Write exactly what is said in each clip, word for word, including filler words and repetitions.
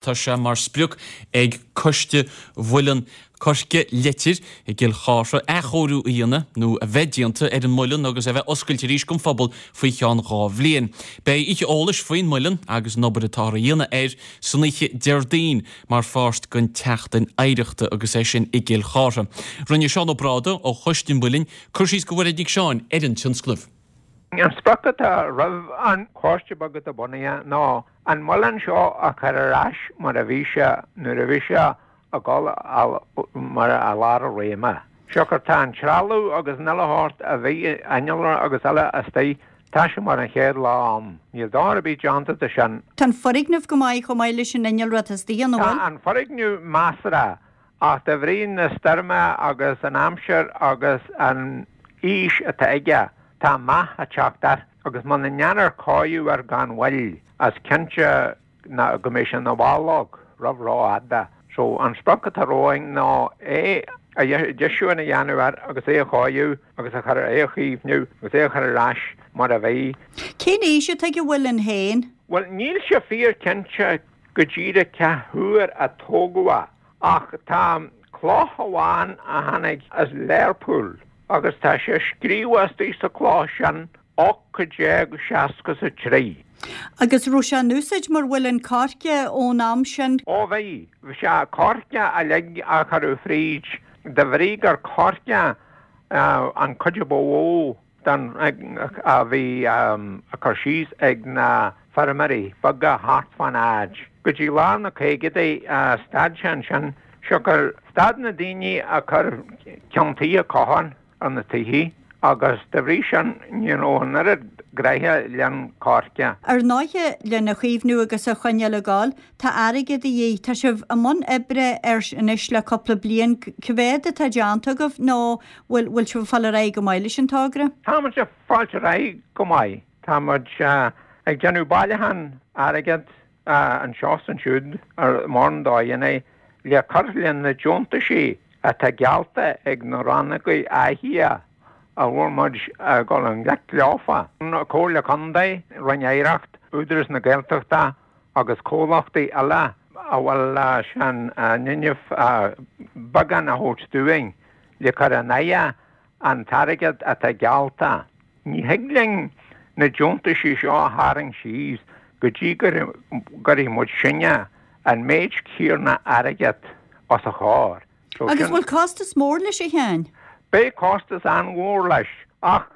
Tá sé mar sprioc ag Coiste Mhuileann Coirce Leitir i gCill Chartha athchóiriú a dhéanamh nó a bheith déanta ar an muileann agus a bheith oscailte arís don phobal faoi cheann dhá bhliain. Beidh oíche eolais faoin muileann agus an obair atá á dhéanamh air san oíche Déardaoin mar pháirt den tseachtain oidhreachta agus é sin i gCill Chartha. Rinne Seán Ó Bráda ó Choiste an Mhuilinn cur síos do Mhairéad Nic Seáin ar an tionscnamh. An sprioc atá roimh an choiste beag atá bunaithe ná an muileann seo a chur ar ais mar a bhí sé nuair a bhí sé ag dul mar i lár a réime. Siocair tá an trealamh agus an uile shórt a bhí innealra agus eile istigh, tá sé mar an chéad lá ann. Níl dochar ar bith déanta de sin. Tá an foirgneamh go maith chomh maith leis an innealra atá istigh ann, an bhfuil? Tá an foirgneamh measartha ach de bhrí na stoirme agus an aimsir agus an aois atá aige, tá meath ag teacht air agus muna ndéanfar cóiriú air gan mhoill, is cinnte go mbeidh sé ina bhallóg roimh rófhada. So an sprioc atá romhainn ná é a dheisiúchán a dhéanamh air agus é a chóiriú agus a chur é a chaomhnú agus é a chur ar ais mar a bhí. Cén aois atá ag an mhuileann féin? Bhuel, níl sé fíor cinnte go díreach cá huair a tógadh é. Ach tá cloch amháin a tháinig as Learpholl agus tá sé scríofa istigh sa chloch sin ocht déag seasca 's a trí. Agus raibh sé in úsáid mar mhuileann coirce ón am sin? Ó bhí. Bhí sé coirce uilig a cuireadh fríd de bhrí gur coirce an chuid a ba mhó den a bhí á cur síos ag na feirmeoirí beaga thart fán áit. Go dtí lár na caogaidí stad sé ansin, siocair stad na daoine ag cur ceann tuí cotháin ar na tithe agus de bhrí sin ní raibh an oiread gnoithe len coirce. Ar ndóighe, lena chaomhnú agus a choinneáil ag gabháil, tá airgead de dhíth. Tá sibh i mbun oibre air anois le cúpla bliain. Cá mhéad atá déanta agaibh nó bhfuil bhfuil sibh ag fáil ar aghaidh go maith leis an togra? Tá muid ag fáilt ar aghaidh go maith. Tá muid ag déanamh bailiúchán airgead anseo is ansiúd ar mórán dóigheanna le cur le na deontaisí atá geallta ag na rannógaí áirithe a bhfuil muid ag dul i ngleic leofa, Comhairle Contae, Roinn Oidhreacht, Údarás na Gaeltachta agus comhlachtaí eile a bhfuil sé in innimh beagán a thabhairt dúinn le cur in aghaidh an t-airgead atá geallta. Ní thig linn na deontaisí seo a tharraingt síos go dtí go gcuirfidh muid sinne an méid céanna airgead os a chomhair. So Agus bhfuil costas mór leis a Sheáin? Beidh costas an-mhór leis, ach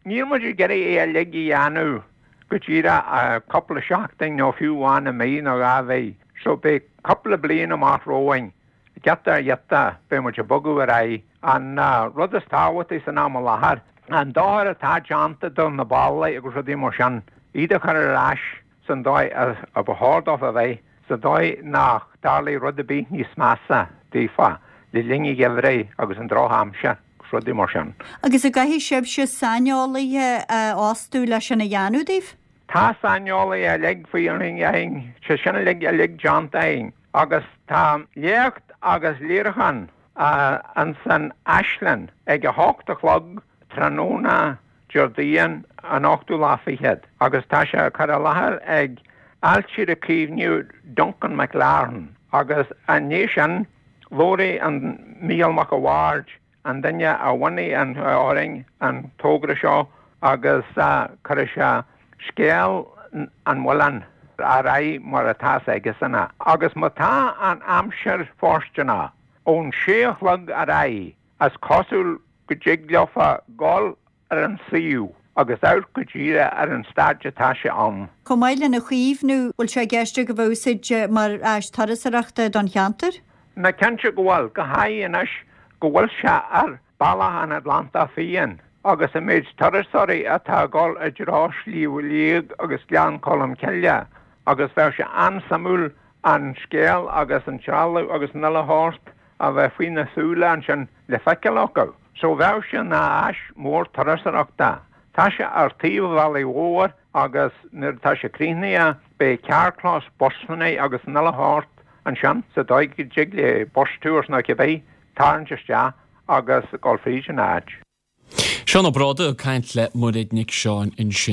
níl muid ag iarraidh é uilig a dhéanamh go díreach cúpla seachtain nó fiú amháin i mí nó dhá mhí. So beidh cúpla bliain amach romhainn, giota ar ghiota, beidh muid ag bogadh ar aghaidh. An rud is tábhachtaí san am i láthair, an dochar atá déanta do na ballaí agus rudaí mar sin, iad a chur ar ais san dóigh a ba chóir dóibh a bheith, sa dóigh nach dtarlóidh rud ar bith níos measa daofa le linn an gheimhridh agus an drochaimsir agus rudaí mar sin. Agus an gcaithfidh sibhse saineolaithe a fhostú leis sin a dhéanamh daoibh? Tá saineolaithe uilig faoi againn, sé sin uilig uilig déanta againn agus tá léacht agus léiriúchán ins an Áislann ag a hocht a chlog tráthnóna Déardaoin an ochtú lá fichead agus tá sé curtha i láthair ag Ailtire Caomhnaithe Duncan McLaren agus an ndiaidh sin labhróidh an Mícheál Mac a' Bhaird an duine a bhunaigh an fhoireann an togra seo agus cuirfidh sé scéal an mhuilinn ar aghaidh mar atá aigesan. Agus má tá an aimsir fóirsteanach ón sé a chlog ar aghaidh is cosúil go dtig leofa gabháil ar an suíomh agus amharc go díreach ar an staid atá sé ann. Chomh maith lena chaomhnú, bhfuil sé i gceist agaibh a úsáid mar áis turasóireachta don cheantar? Ná cinnte go bhfuil, go háirithe anois go bhfuil sé ar Bealach an Atlantach Fiáin agus an méid turasóirí atá ag dul i dtreo Shliabh Liag agus Gleann Cholm Cille agus bheadh sé an-suimiúil an scéal agus an trealamh agus an uile shórt a bheith faoi na súile ansin le feiceáil acu. So bheadh sé ina áis mór turasóireachta. Tá sé ar taobh an bhealaigh mhóir agus nuair atá sé críochnaithe beidh carrchlós busanna agus an uile shórt ansin sa dóigh go dtig le bus tours nó cibé tarraingt isteach agus dul fríd an áit. Seán Ó Bráda ag caint le Mairéad Nic Seáin ansin.